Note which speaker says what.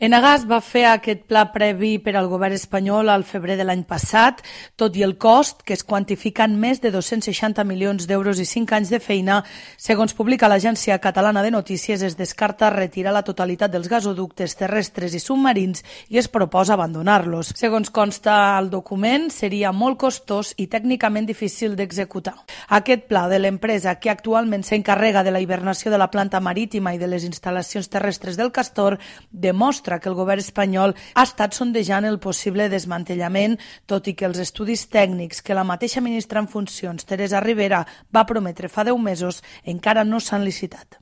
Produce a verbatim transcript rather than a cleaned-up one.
Speaker 1: Enagás va fer aquest pla previ per al govern espanyol al febrer de l'any passat, tot i el cost, que es quantifica en més de dos-cents seixanta milions d'euros i cinc anys de feina. Segons publica l'Agència Catalana de Notícies, es descarta retirar la totalitat dels gasoductes terrestres i submarins i es proposa abandonar-los. Segons consta al document, seria molt costós i tècnicament difícil d'executar. Aquest pla de l'empresa, que actualment s'encarrega de la hibernació de la planta marítima i de les instal·lacions terrestres del Castor, demostra que el govern espanyol ha estat sondejant el possible desmantellament, tot i que els estudis tècnics que la mateixa ministra en funcions, Teresa Ribera, va prometre fa deu mesos encara no s'han licitat.